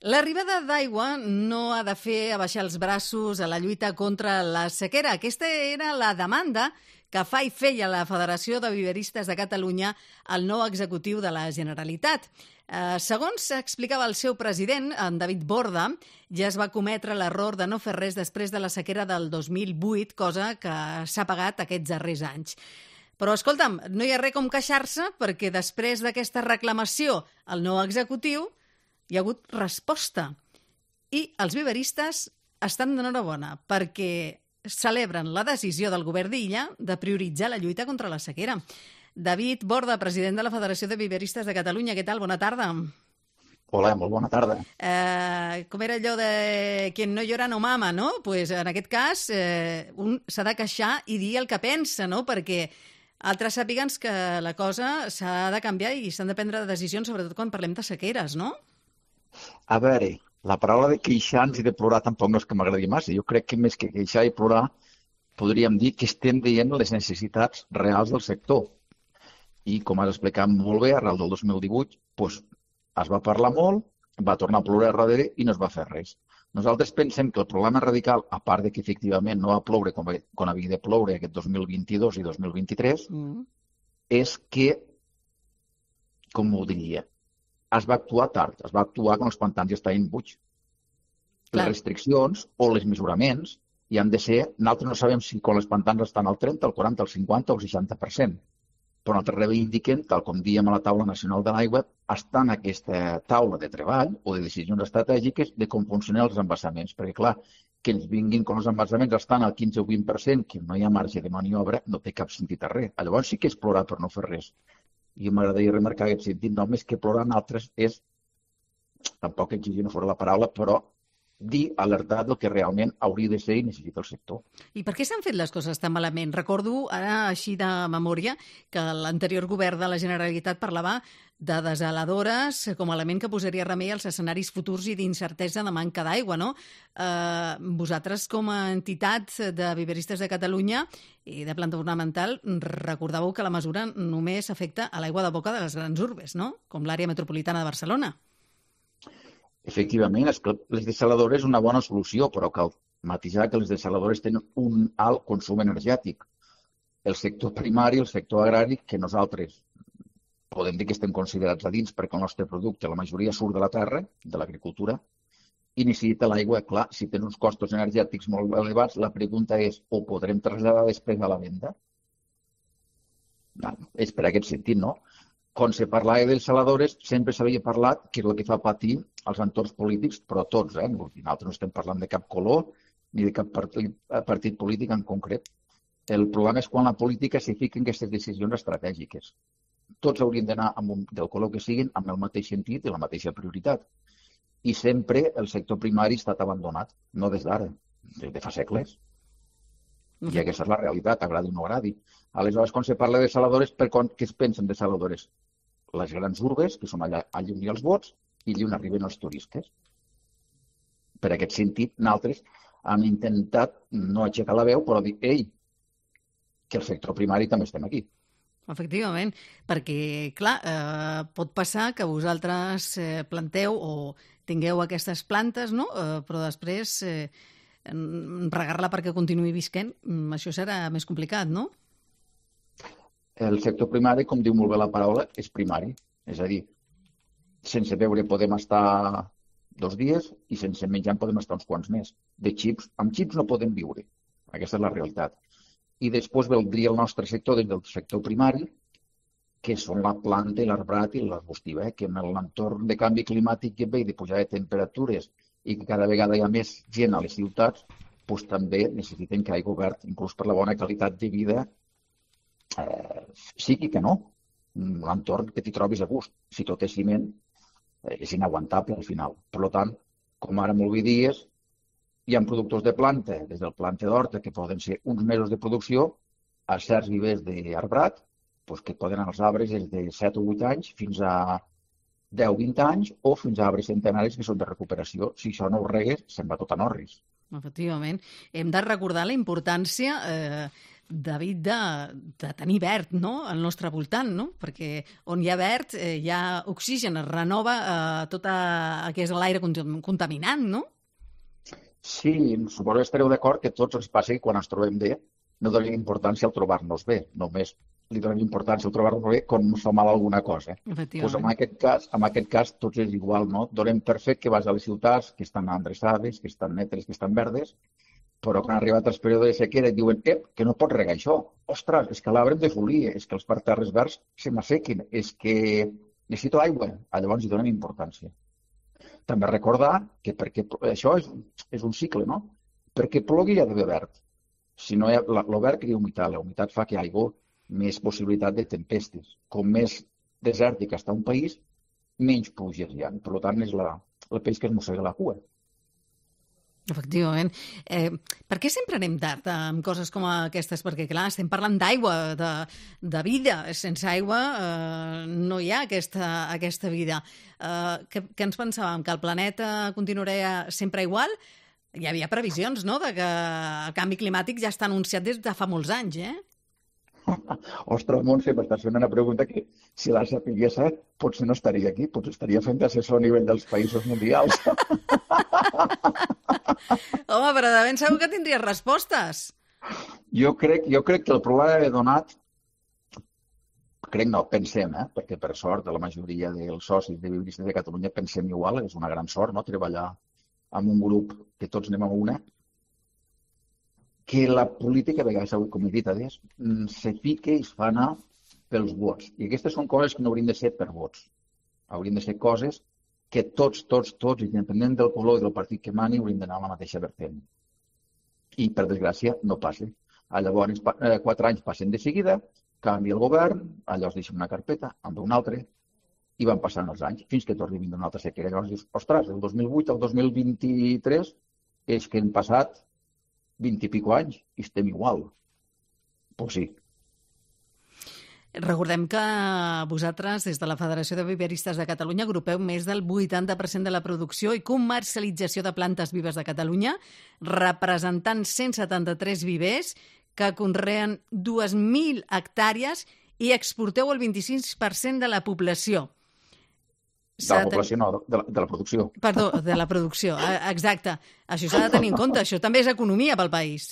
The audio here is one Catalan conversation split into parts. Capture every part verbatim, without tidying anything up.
L'arribada d'aigua no ha de fer abaixar els braços a la lluita contra la sequera. Aquesta era la demanda que fa i feia la Federació de Viveristes de Catalunya al nou executiu de la Generalitat. Eh, segons explicava el seu president, en David Borda, ja es va cometre l'error de no fer res després de la sequera del dos mil vuit, cosa que s'ha pagat aquests darrers anys. Però, escolta'm, no hi ha res com queixar-se perquè després d'aquesta reclamació al nou executiu hi ha hagut resposta. I els viveristes estan d'enhorabona perquè celebren la decisió del govern d'Illa de prioritzar la lluita contra la sequera. David Borda, president de la Federació de Viveristes de Catalunya. Què tal? Bona tarda. Hola, molt bona tarda. Eh, com era allò de quien no llora no mama, no? Pues en aquest cas eh, un s'ha de queixar i dir el que pensa, no? Perquè altres sàpiguen que la cosa s'ha de canviar i s'han de prendre decisions, sobretot quan parlem de sequeres, no? A veure, la paraula de queixar-nos i de plorar tampoc no és que m'agradi massa. Jo crec que més que queixar i plorar podríem dir que estem veient les necessitats reals del sector. I com has explicat molt bé, arrel del dos mil divuit doncs, es va parlar molt, va tornar a plorar darrere i no es va fer res. Nosaltres pensem que el problema radical, a part de que efectivament no va ploure com, com havia de ploure aquest dos mil vint-i-dos i dos mil vint-i-tres, mm. és que, com ho diria, es va actuar tard, es va actuar quan els pantans ja estaven buits. Les restriccions o els mesuraments hi han de ser, nosaltres no sabem si quan els pantans estan al trenta, al quaranta, al cinquanta o al seixanta per cent, però nosaltres reivindiquem, tal com diem a la taula nacional de l'aigua, està en aquesta taula de treball o de decisions estratègiques de com funcionen els embassaments, perquè clar, que ens vinguin com els embassaments estan al quinze o vint per cent, que no hi ha marge de maniobra, no té cap sentit a res. Llavors sí que és plorar per no fer res. I m'agradaria remarcar aquest sentit, no més que plorar en altres és, tampoc exigir no fora la paraula, però dir, alertar del que realment hauria de ser i necessita el sector. I per què s'han fet les coses tan malament? Recordo, ara així de memòria, que l'anterior govern de la Generalitat parlava de desaladores com a element que posaria remei als escenaris futurs i d'incertesa de manca d'aigua, no? Eh, vosaltres, com a entitat de Viveristes de Catalunya i de planta ornamental, recordàveu que la mesura només afecta a l'aigua de boca de les grans urbes, no? Com l'àrea metropolitana de Barcelona. Efectivament, és que les desaladores és una bona solució, però cal matisar que les desaladores tenen un alt consum energètic. El sector primari, el sector agrari, que nosaltres podem dir que estem considerats a dins perquè el nostre producte, la majoria surt de la terra, de l'agricultura, i necessita l'aigua. Clar, si tenen uns costos energètics molt elevats, la pregunta és, ho podrem traslladar després a la venda? No, és per aquest sentit, no? Quan se parlava de desaladores, sempre s'havia parlat que és el que fa patir els entorns polítics, però tots, eh? Nosaltres no estem parlant de cap color ni de cap partit, partit polític en concret. El problema és quan la política s'hi fica en aquestes decisions estratègiques. Tots haurien d'anar, del color que siguin, amb el mateix sentit i la mateixa prioritat. I sempre el sector primari ha estat abandonat, no des d'ara, des de fa segles. I aquesta és la realitat, agradi o no agradi. Aleshores, quan se parla de desaladores, per què es pensen de desaladores? Les grans urbes, que són allà, allà on hi ha els vots, i allà on arriben els turistes. Per aquest sentit, nosaltres hem intentat no aixecar la veu, però dir, ei, que el sector primari també estem aquí. Efectivament, perquè, clar, eh, pot passar que vosaltres eh, planteu o tingueu aquestes plantes, no? Eh, però després eh, regar-la perquè continuï visquent, això serà més complicat, no? El sector primari, com diu molt bé la paraula, és primari. És a dir, sense beure podem estar dos dies i sense menjar podem estar uns quants més. De xips, amb xips no podem viure. Aquesta és la realitat. I després valdria el nostre sector des del sector primari, que són la planta i l'arbrat i l'arbustiva, eh? Que en l'entorn de canvi climàtic que ve i de pujada de temperatures i que cada vegada hi ha més gent a les ciutats, doncs també necessiten que hi hagi obert, inclús per la bona qualitat de vida, Eh, sigui que no, l'entorn que t'hi trobis a gust. Si tot és ciment, eh, és inaguantable al final. Per tant, com ara molt bé dies, hi ha productors de planta, des del planta d'horta, que poden ser uns mesos de producció, a certs vivers d'arbrat, doncs que poden anar als arbres des de set o vuit anys fins a deu o vint anys, o fins a arbres centenaris que són de recuperació. Si això no ho regues, se'n va tot en orris. Efectivament. Hem de recordar la importància eh, David, de, de tenir verd, no?, al nostre voltant, no? Perquè on hi ha verd eh, hi ha oxigen, es renova eh, tot el que és l'aire contaminant, no? Sí, suposo que estareu d'acord que tots ens passa que quan ens trobem bé no donem importància al trobar-nos bé, només li donem importància al trobar-nos bé quan ens fa mal alguna cosa. Pues en aquest cas, en aquest cas tots és igual, no? Donem per fet que vas a les ciutats que estan endreçades, que estan netes, que estan verdes, però quan ha arribat el període de sequera et diuen ep, que no pots regar això. Ostres, és que l'arbre em defolia, és que els parterres verds se m'assequin, és que necessito aigua. Ah, llavors hi donem importància. També recordar que perquè això és, és un cicle, no? Perquè plogui hi ha d'haver verd. Si no hi ha, el verd crea humitat, la humitat fa que hi hagi més possibilitat de tempestes. Com més desèrtic està un país, menys pluges hi ha. Per tant, és la, el peix que es mossega la cua. Efectivament. Eh, per què sempre anem tard amb coses com aquestes? Perquè, clar, estem parlant d'aigua, de, de vida. Sense aigua eh, no hi ha aquesta, aquesta vida. Eh, què, què ens pensàvem? Que el planeta continuaria sempre igual? Hi havia previsions, no?, de que el canvi climàtic ja està anunciat des de fa molts anys, eh? Ostres, Montse, m'estàs fent una pregunta que, si la sapigués, potser no estaria aquí, potser estaria fent assessor a nivell dels països mundials. Home, però de ben segur que tindries respostes. Jo crec, jo crec que el problema he donat, crec no, pensem, eh? Perquè per sort la majoria dels socis de Viveristes de Catalunya pensem igual, és una gran sort, no?, treballar amb un grup que tots anem a una, que la política, a vegades, com he dit adés, se fica i es fa anar pels vots. I aquestes són coses que no haurien de ser per vots. Haurien de ser coses que tots, tots, tots, independent del color i del partit que mani, haurien d'anar a la mateixa vertent. I, per desgràcia, no passa. Llavors, quatre anys passen de seguida, canvia el govern, allò es deixa una carpeta, amb un altre, i van passant els anys, fins que torni a vindre una altra sequera. Llavors dius, ostres, del dos mil vuit al dos mil vint-i-tres és que han passat vint i pico anys i estem igual. Pues sí. Recordem que vosaltres, des de la Federació de Viveristes de Catalunya, agrupeu més del vuitanta per cent de la producció i comercialització de plantes vives de Catalunya, representant cent setanta-tres vivers que conreen dues mil hectàrees i exporteu el vint-i-sis per cent de la població. De la població, no, de la, de la producció. Perdó, de la producció, exacte. Això s'ha de tenir en compte, això també és economia pel país.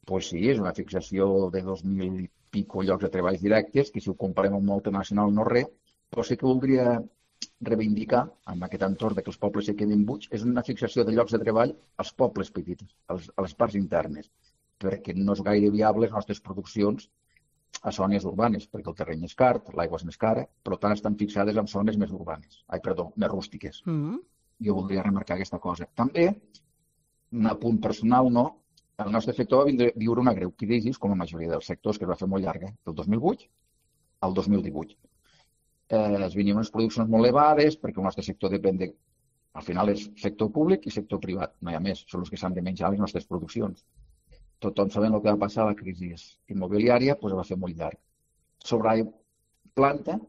Pues sí, és una fixació de dos mil i pico llocs de treballs directes, que si ho comparem amb multinacional no res, però sí que voldria reivindicar, amb aquest entorn que els pobles se quedin buits, és una fixació de llocs de treball als pobles petits, als, a les parts internes, perquè no és gaire viable les nostres produccions a zones urbanes, perquè el terreny és car, l'aigua és més cara, però tant estan fixades en zones més urbanes, ai, perdó, més rústiques. Mm-hmm. Jo voldria remarcar aquesta cosa. També, un apunt personal, no? El nostre sector va viure una greu crisi, com la majoria dels sectors, que es va fer molt llarga, del dos mil vuit al dos mil divuit. Eh, es venien unes produccions molt elevades, perquè el nostre sector depèn de... Al final és sector públic i sector privat, no hi ha més, són els que s'han de menjar les nostres produccions. Tothom sabent el que va passar a la crisi immobiliària, doncs va fer molt llarg. Sobre la planta,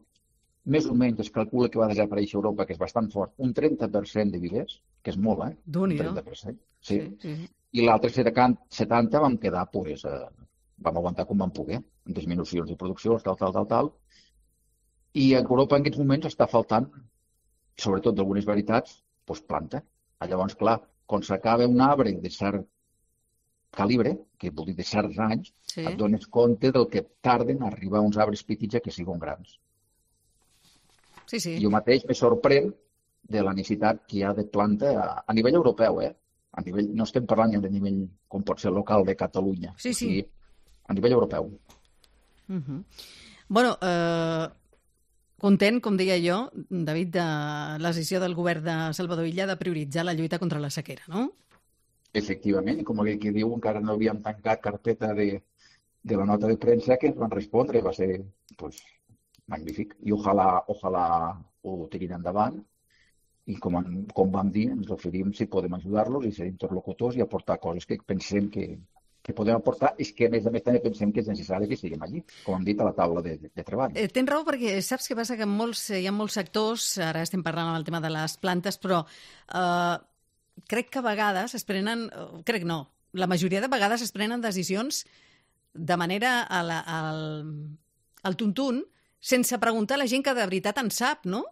més o menys es calcula que va desaparèixer a Europa, que és bastant fort, un trenta per cent de vivers, que és molt, eh? Un trenta per cent. Sí. Sí, sí. I l'altre setanta vam quedar, pues, eh, vam aguantar com vam poder, amb disminucions de producció, tal, tal, tal, tal. I a Europa en aquests moments està faltant, sobretot d'algunes varietats, doncs planta. Llavors, clar, quan s'acaba un arbre de cert calibre, que vol dir de certs anys, sí, et dones compte del que tarden a arribar uns arbres petits a que siguin grans. Sí, sí. Jo mateix me sorprèn de la necessitat que hi ha de planta a, a nivell europeu, eh? A nivell, no estem parlant ja de nivell, com pot ser local de Catalunya, sí, sí. O sigui, a nivell europeu. Uh-huh. Bueno, eh, content, com deia jo, David, de la decisió del govern de Salvador Illa de prioritzar la lluita contra la sequera, no? Efectivament, com aquell que diu, encara no havíem tancat carpeta de, de la nota de premsa que ens van respondre, va ser pues, magnífic. I ojalà, ojalà ho tirin endavant i com, com vam dir, ens oferim si podem ajudar-los i ser interlocutors i aportar coses que pensem que, que podem aportar i que a més a més també pensem que és necessari que siguem allí, com hem dit, a la taula de, de treball. Eh, tens raó perquè saps què passa? Que en molts, hi ha molts sectors, ara estem parlant amb el tema de les plantes, però eh, crec que a vegades es prenen, crec no, la majoria de vegades es prenen decisions de manera al, al, al tuntun, sense preguntar a la gent que de veritat en sap, no?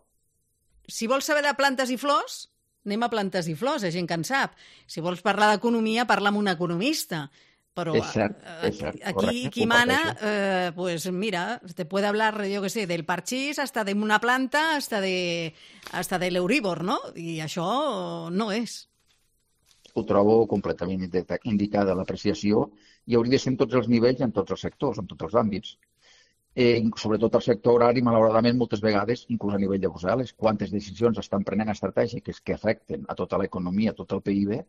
Si vols saber de plantes i flors, anem a plantes i flors, a gent que en sap. Si vols parlar d'economia, parla amb un economista. Però és cert, és cert, aquí correcte, qui mana, eh, pues mira, te puede hablar, yo que sé, del parchís hasta de una planta, hasta de hasta de l'Euríbor, no? I això no és. Ho trobo completament indicada l'apreciació i hauria de ser en tots els nivells, en tots els sectors, en tots els àmbits. Eh, sobretot el sector agrari, malauradament, moltes vegades, inclús a nivell de Brussel·les, quantes decisions estan prenent estratègiques que afecten a tota l'economia, a tot el P I B,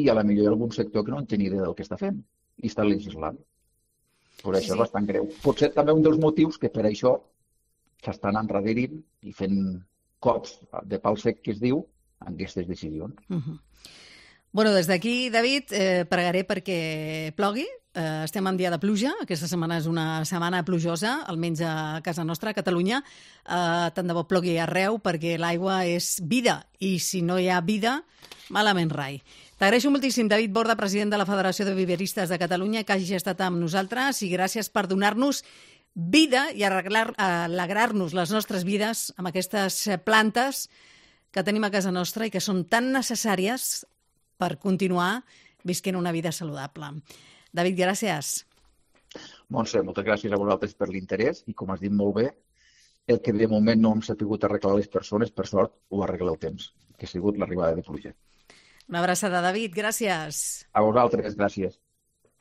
i a la millor hi ha algun sector que no en té ni idea del que està fent i està legislant. Per això sí, sí. És bastant greu. Potser també un dels motius que per això s'estan endarrerint i fent cops de pal sec, que es diu, en aquestes decisions. Uh-huh. Bueno, des d'aquí, David, eh, pregaré perquè plogui. Eh, estem en dia de pluja. Aquesta setmana és una setmana plujosa, almenys a casa nostra, a Catalunya. Eh, tant de bo plogui arreu, perquè l'aigua és vida. I si no hi ha vida, malament rai. T'agraeixo moltíssim, David Borda, president de la Federació de Viveristes de Catalunya, que hagi estat amb nosaltres, i gràcies per donar-nos vida i arreglar, alegrar-nos les nostres vides amb aquestes plantes que tenim a casa nostra i que són tan necessàries per continuar visquent una vida saludable. David, gràcies. Montse, moltes gràcies a vosaltres per l'interès i, com has dit molt bé, el que de moment no hem sabut arreglar les persones, per sort, ho arregla el temps, que ha sigut l'arribada de pluja. Una abraçada, David. Gràcies. A vosaltres, gràcies.